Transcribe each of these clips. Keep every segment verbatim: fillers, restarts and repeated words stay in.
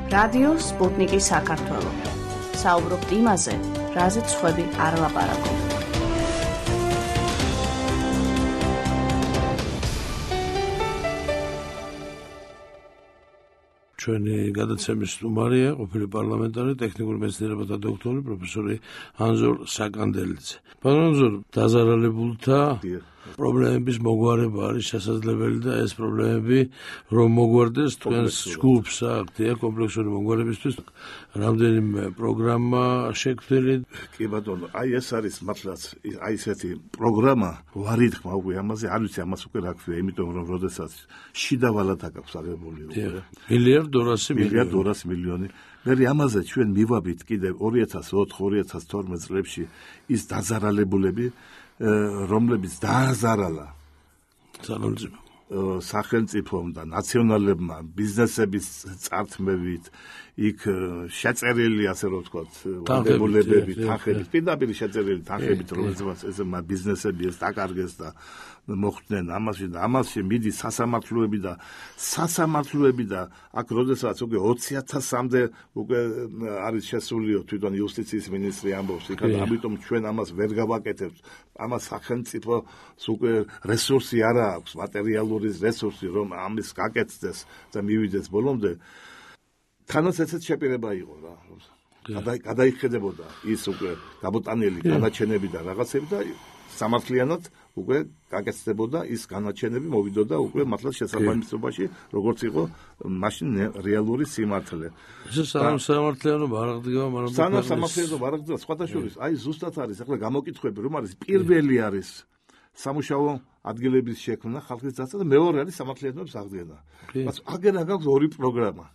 რადიო სპუტნიკი საქართველო. საუბრობთ იმაზე, რაზეც სხვები არ ლაპარაკობენ. ჩვენი გადაცემის სტუმარია ყოფილი პარლამენტარი, ტექნიკური მეცნიერებათა დოქტორი, პროფესორი ანზორ საკანდელიძე. პარლამენტ ანზორ, დაზარალებულთა პრობლემების მოგვარება არის შესაძლებელი და ეს პრობლემები რომ მოგვარდეს თქვენს ჯგუფს აქთია კომპლექსური მოგვარებისთვის რამდენიმე პროგრამა შექმნილი. კი ბატონო, აი ეს არის მართლაც აი ესეთი პროგრამა ვარი თქმა უკვე ამაზე არ ვიცი ამას უკვე რა ქვია, იმიტომ რომ როდესაც შიდა ვალად აქვს აღებული უკვე მილიარდ ორასი მილიონი მილიარდ ორასი მილიონი მე ამაზე ჩვენ მივაბით კიდევ ორი ათას ოთხ ორი ათას თორმეტ წლებში ის დაზარალებულები რომლებიც დააზარალა სახელმწიფომ და ნაციონალებმა ბიზნესების წართმევით იქ შეწერილი ასე რომ ვთქვათ ვალდებულებები თანხებით პირდაპირ შეწერილი თანხებით რომელსაც ეს ბიზნესები ეს დაკარგეს და მოხდნენ ამაში და ამაში მიდის სასამართლოები და სასამართლოები და აქ როდესაც უკვე ოცი ათასამდე უკვე არის შესულიო თვითონ იუსტიციის მინისტრი ამბობს იქ და ამიტომ ჩვენ ამას ვერ გავაკეთებთ ამას სახელმწიფოს უკვე რესურსი არ აქვს მატერიალური რესურსი რომ ამის გაკეთდეს და მივიდეს ბოლომდე თანაც ესეც შეპირება იყო რა გადაიხედებოდა ის უკვე გამოტანილი განაჩენები და რაღაცები და სამართლიანად უკვე გაკეთდებოდა ის განაჩენები მოვიდოდა უკვე მართლაც შესაბამისობაში როგორც იყო მაშინ რეალური სიმართლე. ეს სამართლიანობა არ აღდგება, მაგრამ სამართლიანობა არ აღდგება სხვადასხვა აი ზუსტად არის ახლა გამოკითხვები რომ არის პირველი არის სამუშაო ადგილების შექმნა ხალხის დასაცავად და მეორე არის სამართლიანობის აღდგენა. მას აგერ აქვს ორი პროგრამა.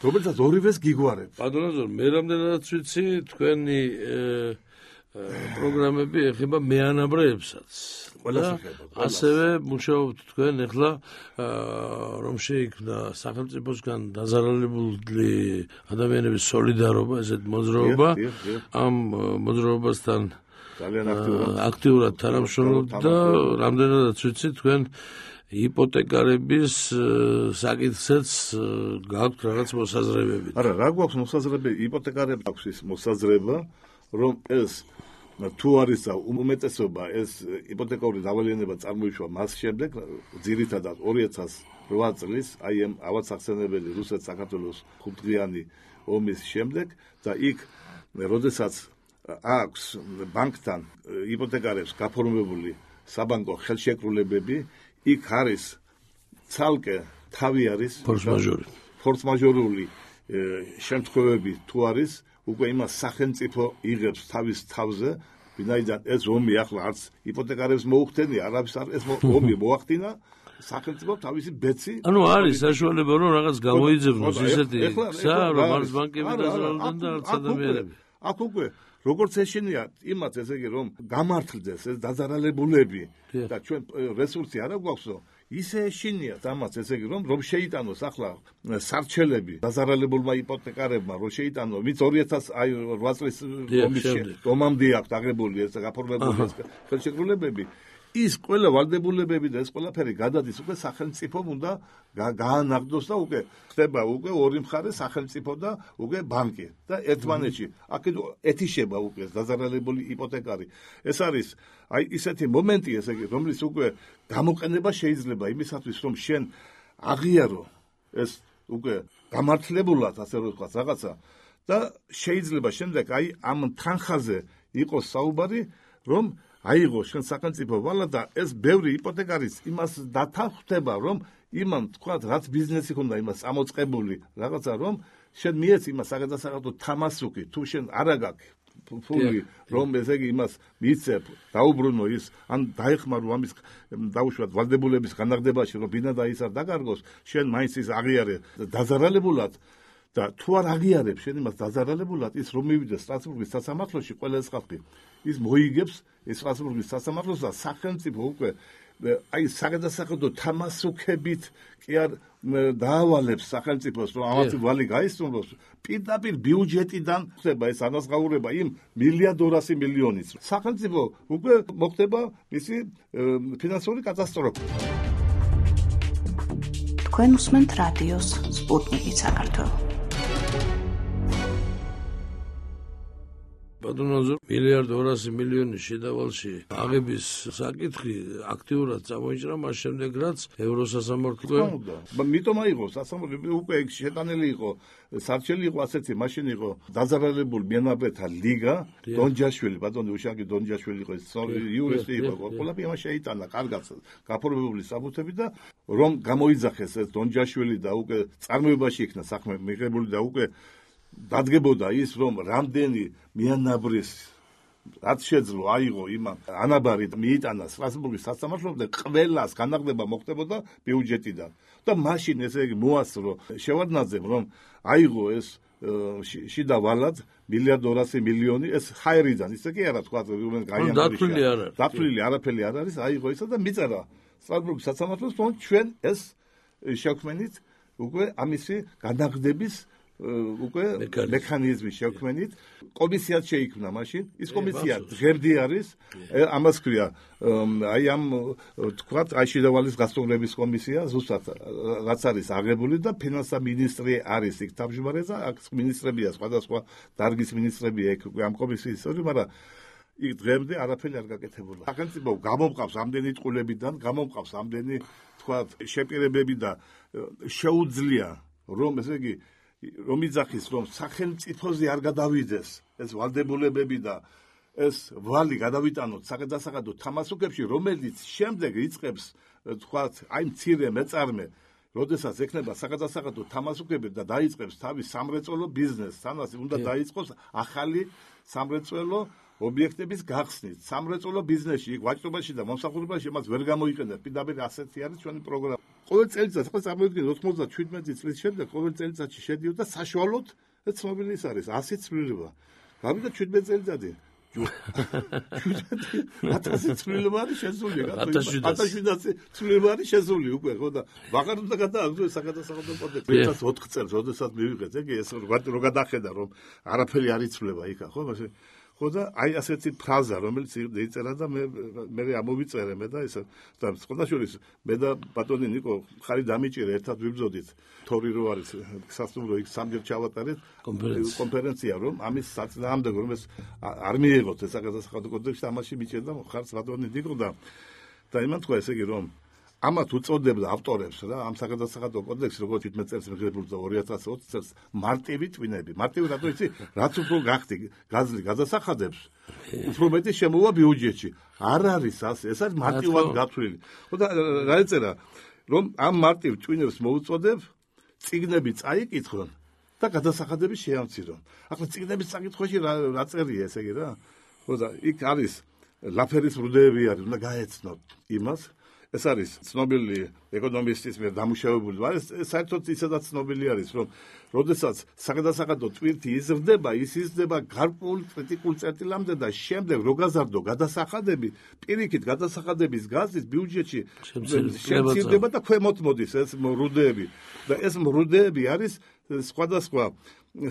რომელსაც ორივეს გიგვარებ. პატრონო, მე რამდენადაც ვიცი თქვენი პროგრამები ეხება მეანაბრეებსაც. ასევე მუშაობთ თქვენ ახლა რომ შეიქმნა სახელმწიფოსგან დაზარალებული ადამიანების სოლიდარობა, ესეთ მოძრაობა. ამ მოძრაობასთან ძალიან აქტიურად თანამშრომლობთ და რამდენადაც ვიცი თქვენ იპოთეკარების საკითხსაც გაქვთ რაღაც მოსაზრებები. არა, რა გვაქვს მოსაზრებები? იპოთეკარებს აქვს ის მოსაზრება, რომ ეს თუ არის და უმეტესობა ეს იპოთეკური დავალიანება წარმოიშვა მას შემდეგ, ძირითადად ორი ათას რვა წლის აი ამ ავად სახსენებელი რუსეთ-საქართველოს ხუთდღიანი ომის შემდეგ და იქ როდესაც აქვს ბანკთან იპოთეკარებს გაფორმებული საბანკო ხელშეკრულებები იქ არის ცალკე თავი არის ფორს-მაჟორი ფორს-მაჟორული შემთხვევები თუ არის უკვე იმას სახელმწიფო იღებს თავის თავზე ვინაიდან ეს ომი ახლა არც იპოთეკარებს მოუხდენია არავის არ ეს ომი მოახდინა სახელმწიფო თავისი ბეცი ანუ არის საშუალება რომ რაღაც გამოიძებნოს ისეთი გზა რომ არის ბანკები დაზარალდნენ და არც ადამიანები აქ უკვე როგორც ეშინია იმათ ესე იგი რომ გამართლდეს ეს დაზარალებულები და ჩვენ რესურსი არ გვაქვსო ისე ეშინიათ ამას ესე იგი რომ რომ შეიტანოს ახლა სარჩელები დაზარალებულმა იპოთეკარებმა რომ შეიტანო ვინც ორი ათას რვა წლის ომამდე აქვს აღებული ეს გაფორმებული ეს ხელშეკრულებები ის ყველა ვალდებულებები და ეს ყველაფერი გადადის უკვე სახელმწიფომ უნდა გაანაღდოს და უკვე ხდება უკვე ორი მხარე სახელმწიფო და უკვე ბანკი და ერთმანეთში აქ ეთიშება უკვე დაზარალებული იპოთეკარი ეს არის აი ისეთი მომენტი ესე იგი რომლის უკვე გამოყენება შეიძლება იმისათვის რომ შენ აღიარო ეს უკვე გამართლებულად ასე რომ ვთქვათ რაღაცა და შეიძლება შემდეგ აი ამ თანხაზე იყოს საუბარი რომ აიღო შენ სახელმწიფო ვალა და ეს ბევრი იპოთეკარის იმას დათანხმდება რომ იმან თქვათ რაც ბიზნესი ხონდა იმას ამოწყებული რაღაცა რომ შენ მიეცი იმას საგადასახადო თამასუკი თუ შენ არ აგაქვს ფული რომ ესე იგი იმას მიცებ დაუბრუნო ის ან დაეხმარო ამის დაუშვათ ვალდებულების განაღდებაში რომ ბინა და ის არ დაკარგოს შენ მაინც ის აღიარე დაზარალებულად და თუ არ აღიარებ შენ იმას დაზარალებულად ის რომ მივიდეს სტრასბურგის სასამართლოში ყველა ეს ხალხი ის მოიგებს ეს სტრასბურგის სასამართლოს და სახელმწიფო უკვე აი საგადასახადო თამასუქებით კი არ დაავალებს სახელმწიფოს რომ ამათ ვალი გაისწროს პირდაპირ ბიუჯეტიდან ხდება ეს ანაზღაურება იმ მილიარდ ორასი მილიონის სახელმწიფო უკვე მოხდება მისი ფინანსური კატასტროფა თქვენ უსმენთ რადიოს სპუტნიკი საქართველო ბატონო, მილიარდ ორასი მილიონი შედავალში აღების საკითხი აქტიურად წამოიჭრა მას შემდეგ, რაც ევროსასამართლო მიტომ აიღო სასამართლო უკვე შეტანილი იყო, სარჩელი იყო ასეთი, მაშინ იყო დაზარალებული მიანაბრეთა ლიგა, დონჯაშვილი, ბატონო უშაკი დონჯაშვილი იყო, იურისტი იყო, ყველაფერი ამას შეიტანა, კარგად გაფორმებული საბუთები და რომ გამოიძახეს ეს დონჯაშვილი და უკვე წარმოებაში იქნა საქმე მიღებული და უკვე დადგებოდა ის, რომ რამდენი მიანაბრის რაც შეძლო აიღო იმან ანაბარი მიიტანა სტრასბურგის სასამართლომდე, ყველას განაღდება მოხდებოდა ბიუჯეტიდან და მაშინ ესე იგი მოასწრო შევარდნაძემ, რომ აიღო ეს შიდა ვალად მილიარდ ორასი მილიონი ეს ხაერიდან, ისე კი არა თქვა, რომ დათვლილი არ არის. დათვლილი არაფერი არ არის, აიღო ისა და მიწერა სტრასბურგის სასამართლოს, რომ ჩვენ ეს შევქმნით უკვე ამისი განაღდების უკვე მექანიზმი შევქმნით, კომისიაც შეიქმნა მაშინ, ის კომისია ღერდი არის, ამას ქვია, აი ამ თქვათ, აი შედავალის გასწავლების კომისია, ზუსტად რაც არის აღებული და ფინანსთა მინისტრი არის იქ თავმჯდომარე და აქ მინისტრებია, სხვადასხვა დარგის მინისტრებია იქ ამ კომისიის წევრი, მაგრამ იქ დღემდე არაფერი არ გაკეთებულა. სახელმწიფო გამომყავს ამდენი წყულებიდან, გამომყავს ამდენი თქვათ შეპირებები და შეუძლია რომ ესე იგი რომ იძახის, რომ სახელმწიფოზე არ გადავიდეს ეს ვალდებულებები და ეს ვალი გადავიტანოთ საკადასახადო თამასუქებში, რომელიც შემდეგ იწყებს თქვათ, აი მცირე მეწარმე, როდესაც ექნება საკადასახადო თამასუქები და დაიწყებს თავის სამრეწველო ბიზნესს, თანაც უნდა დაიწყოს ახალი სამრეწველო ობიექტების გახსნით. სამრეწველო ბიზნესში, იქ ვაჭრობაში და მომსახურებაში მას ვერ გამოიყენებს. პირდაპირ ასეთი არის ჩვენი პროგრამა. ყოველ წელიწადს ხო წარმოიდგინეთ ოცდაშვიდ წლის შემდეგ ყოველ წელიწადში შედიოდა საშუალოდ ცნობილი ის არის ასი ცვლილება. გავიდა შვიდმეტ წელიწადი. ათასი ცვლილება არის შესული, ათასი ცვლილება არის შესული უკვე, ხო და ვაღარ უნდა გადააგდო საკადასახადო კოდექსი. ერთად ოთხ წელს, როდესაც მივიღეთ, ეგ ეს რო გადახედა, რომ არაფერი არ იცვლება იქა, ხო, მაშინ ხო და აი ასეთი ფრაზა, რომელიც იწერა და მე მე ამოვიწერე მე და ეს და სხვადასხვა მე და ბატონი ნიკო ხარი დამიჭირე, ერთად ვიბრძოდით. თორი რო არის სასტუმრო იქ სამჯერ ჩავატარეთ კონფერენცია, რომ ამის საწინააღმდეგო რომ ეს არ მიიღოთ ეს საკადასახადო კოდექსი, ამაში მიჭერდა ხარს ბატონი ნიკო და და იმან თქვა ესე იგი, რომ ამათ უწოდებდა ავტორებს რა ამ საკადასახადო კოდექსს, როგორც შვიდმეტ წელს მიღებული და ორი ათას ოცი წელს მარტივი ტვინები. მარტივი რატო იცი? რაც უფრო გახდი გაზლი გადასახადებს, უფრო მეტი შემოვა ბიუჯეტში. არ არის ასე, ეს არის მარტივად გათვლილი. ხო და რა ეწერა, რომ ამ მარტივ ტვინებს მოუწოდებ, წიგნები წაიკითხონ და გადასახადები შეამცირონ. ახლა წიგნების წაკითხვაში რა რა წერია ესე იგი რა? ხო და იქ არის ლაფერის რუდეები არის, უნდა გაეცნოთ იმას. ეს არის ცნობილი ეკონომისტის მიერ დამუშავებული, მაგრამ საერთოდ ისედაც ცნობილი არის, რომ როდესაც საკადასახადო ტვირთი იზრდება, ის იზრდება გარკვეულ კრიტიკულ წერტილამდე და შემდეგ რო გაზარდო გადასახადები, პირიქით გადასახადების გაზის ბიუჯეტში შემცირდება და ქვემოთ მოდის ეს მრუდეები. და ეს მრუდეები არის სხვადასხვა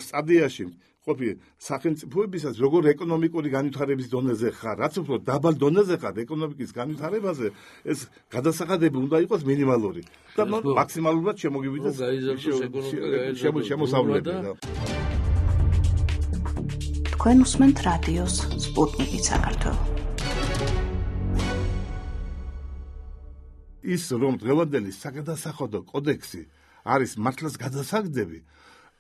სტადიაში ყოფი სახელმწიფოებისას, როგორ ეკონომიკური განვითარების დონეზე ხარ, რაც უფრო დაბალ დონეზე ხარ ეკონომიკის განვითარებაზე, ეს გადასახადები უნდა იყოს მინიმალური და მაქსიმალურად შემოგივიდეს შემოსავლები. თქვენ უსმენთ რადიოს სპუტნიკი საქართველო. ის რომ დღევანდელი საკადასახადო კოდექსი არის მართლაც გადასაგდები,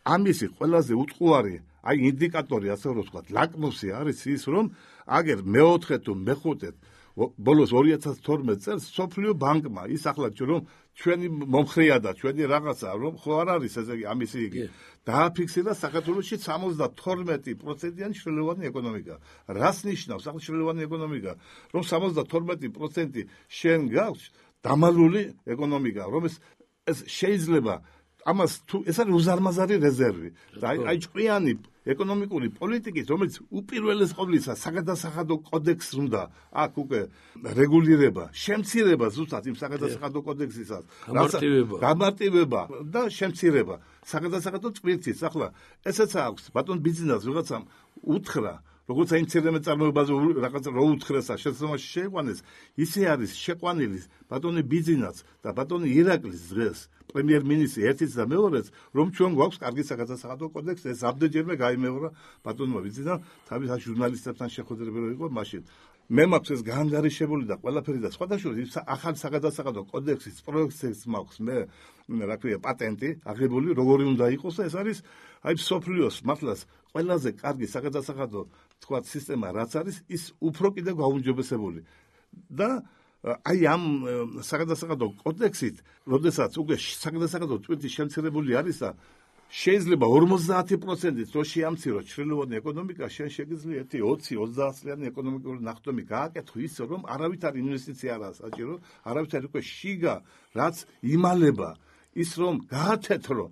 ამისი ყველაზე უწყუარი აი ინდიკატორი, ასე რომ ვთქვათ, ლაკმუსი არის ის, რომ აგერ მეოთხე თუ მეხუთე ბოლოს ორი ათას თორმეტ წელს სოფლიო ბანკმა ის ახლა რომ ჩვენი მომხრეა და ჩვენი რაღაცა რომ ხო არ არის ესე იგი ამისი იგი დააფიქსირა საქართველოში სამოცდათორმეტი პროცენტიანი შრელოვანი ეკონომიკა. რას ნიშნავს ახლა შრელოვანი ეკონომიკა? რომ სამოცდათორმეტი პროცენტი შენ გაქვს დამალული ეკონომიკა, რომ ეს ეს შეიძლება ამას თუ ეს არის უზარმაზარი რეზერვი და აი ჭკვიანი ეკონომიკური პოლიტიკის, რომელიც უპირველეს ყოვლისა საკადასახადო კოდექსს უნდა აქ უკვე რეგულირება, შემცირება ზუსტად იმ საკადასახადო კოდექსისას, გამარტივება და შემცირება საკადასახადო წვირთის. ახლა ესეც აქვს ბატონ ბიზნესს ვიღაცამ უთხრა, როგორც აინტერნეტ წარმოებაზე რაღაც რო უთხრესა შესაძლოა შეიყვანეს, ისე არის შეყვანილი ბატონი ბიძინაც და ბატონი ირაკლის დღეს პრემიერ-მინისტრი ერთიც და მეორეც, რომ ჩვენ გვაქვს კარგი საგადასახადო კოდექსი, ეს ამდენჯერმე გაიმეორა ბატონმა ბიძინამ, თავის ჟურნალისტებთან შეხვედრები რო იყო მაშინ. მე მაქვს ეს გაანგარიშებული და ყველაფერი და სხვადასხვა ახალ საგადასახადო კოდექსის პროექტს მაქვს მე რა ქვია პატენტი აღებული როგორი უნდა იყოს ეს არის აი სოფლიოს მართლაც ყველაზე კარგი საგადასახადო თქვა სისტემა რაც არის ის უფრო კიდევ გაუმჯობესებული და აი ამ საგადასახადო კოდექსით როდესაც უკვე საგადასახადო ტვირთი შემცირებული არის და შეიძლება ორმოცდაათი პროცენტით რო შეამციროს ჩრდილოვანი ეკონომიკა, შენ შეგიძლია ერთი ოცი ოცდაათლიანი ეკონომიკური ნახტომი გააკეთო ისე, რომ არავითარი ინვესტიცია არ ასაჭირო, არავითარი უკვე შიგა, რაც იმალება, ის რომ გაათეთრო.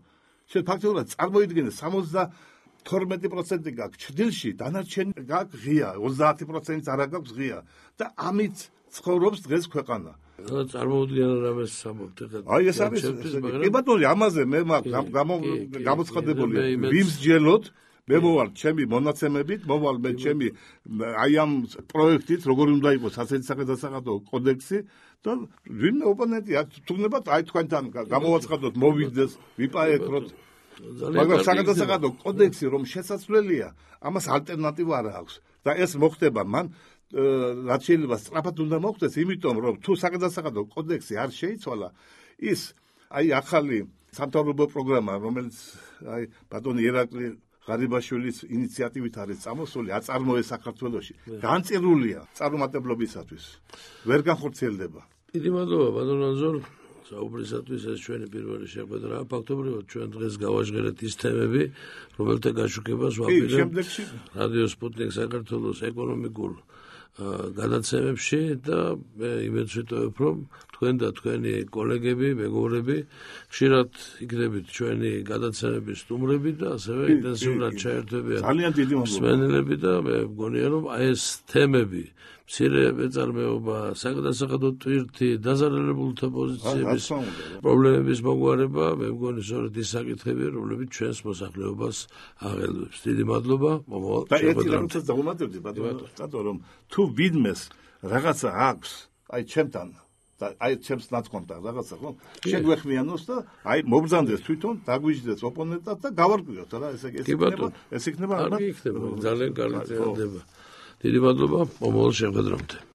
შენ ფაქტობრივად წარმოიდგინე სამოცდათორმეტი პროცენტი გაქვს ჩრდილში, დანარჩენი გაქვს ღია, ოცდაათი პროცენტიც არ გაქვს ღია და ამით ცხოვრობს დღეს ქვეყანა. რა წარმოუდგენ რამეს სამობთ ხა. აი ეს არის კი ბატონო ამაზე მე გამოცხადებული ვიმსჯელოთ მე მოვალ ჩემი მონაცემებით მოვალ მე ჩემი აი ამ პროექტით როგორი უნდა იყოს ასეთი საგადასახადო კოდექსი და ვინმე ოპონენტი თუნდაც აი თქვენთან გამოვაცხადოთ მოვიდეს ვიპაექროთ მაგრამ საგადასახადო კოდექსი რომ შესაძლებელია ამას ალტერნატივა არ აქვს და ეს მოხდება მან რაც შეიძლება სწრაფად უნდა მოხდეს, იმიტომ რომ თუ საგადასახადო კოდექსი არ შეიცვალა, ის აი ახალი სამთავრობო პროგრამა, რომელიც აი ბატონი ირაკლი ღარიბაშვილის ინიციატივით არის წამოსული, აწარმოეს საქართველოში, განწირულია წარუმატებლობისათვის. ვერ განხორციელდება. დიდი მადლობა ბატონ ანზორ, საუბრისათვის ეს ჩვენი პირველი შეხვედრა. ფაქტობრივად ჩვენ დღეს გავაჟღერეთ ის თემები, რომელთა გაშუქებას ვაპირებთ რადიო სპუტნიკ საქართველოს ეკონომიკურ გადაცემებში და მე იმედს ვიტოვებ, რომ თქვენ და თქვენი კოლეგები, მეგობრები ხშირად იქნებით ჩვენი გადაცემების სტუმრები და ასევე ინტენსიურად ჩაერთვებიან მსმენელები და მე მგონია, რომ აი ეს თემები მცირე მეწარმეობა, საგადასახადო ტვირთი, დაზარალებულთა პოზიციების პრობლემების მოგვარება, მე მგონი სწორედ ის საკითხები, რომლებიც ჩვენს მოსახლეობას აღელვებს. დიდი მადლობა, მომავალ შეხვედრამდე. და ერთი რაღაცას დავუმატებდი, ბატონო, რომ თუ ვინმეს რაღაცა აქვს, აი ჩემთან და აი ჩემს ნაცვლად რაღაცა ხო? შეგვეხმიანოს და აი მობრძანდეს თვითონ, დაგვიჯდეს ოპონენტად და გავარკვიოთ რა, ესე ეს იქნება, ეს იქნება ძალიან კარგი წელდება. დიდი მადლობა, მომავალ შეხვედრამდე.